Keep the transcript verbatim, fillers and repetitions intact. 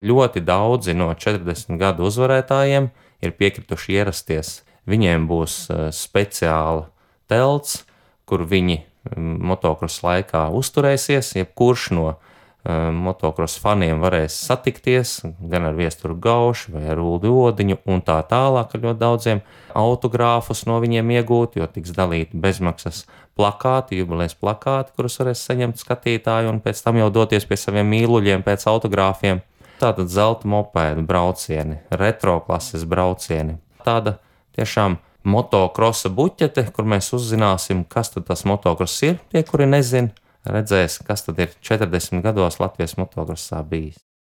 Ļoti daudzi no četrdesmit gadu uzvarētājiem ir piekrituši ierasties. Viņiem būs uh, speciāla telts, kur viņi um, motokrosa laikā uzturēsies. Jebkurš no uh, motokrosa faniem varēs satikties gan ar Viesturu Gaušu vai ar Uldi Odiņu un tā tālāk ar ļoti daudziem autogrāfus no viņiem iegūt, jo tiks dalīti bezmaksas plakāti, jubilejas plakāti, kurus varēs saņemt skatītāji un pēc tam jau doties pie saviem mīluļiem pēc autogrāfiem. Tātad zelta mopēdu braucieni, retro klases braucieni. Tāda tiešām motokrosa buķete, kur mēs uzzināsim, kas tad tas motokross ir, tie, kuri nezin, redzēs, kas tad ir četrdesmit gados Latvijas motokrosā bijis.